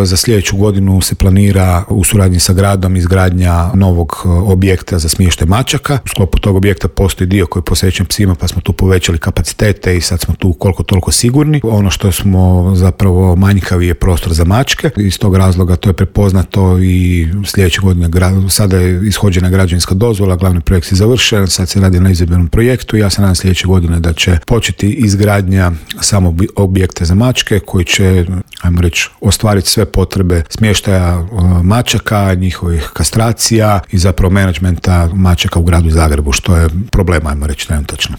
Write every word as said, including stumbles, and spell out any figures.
Za sljedeću godinu se planira u suradnji sa gradom izgradnja novog objekta za smještaj mačaka. U sklopu tog objekta postoji dio koji je posvećen psima, pa smo tu povećali kapacitete i sad smo tu koliko toliko sigurni. Ono što smo zapravo manjkavi je prostor za mačke. Iz tog razloga to je prepoznato i sljedeće godine sada je ishođena građevinska dozvola, glavni projekt je završen, sad se radi na izvedbenom projektu i ja se nadam sljedeće godine da će početi izgradnja samog objekta za mačke koji će, ajmo reći, ostvariti sve potrebe smještaja mačaka, njihovih kastracija i zapravo menadžmenta mačaka u gradu Zagrebu, što je problem, ajmo reći, trenutačno.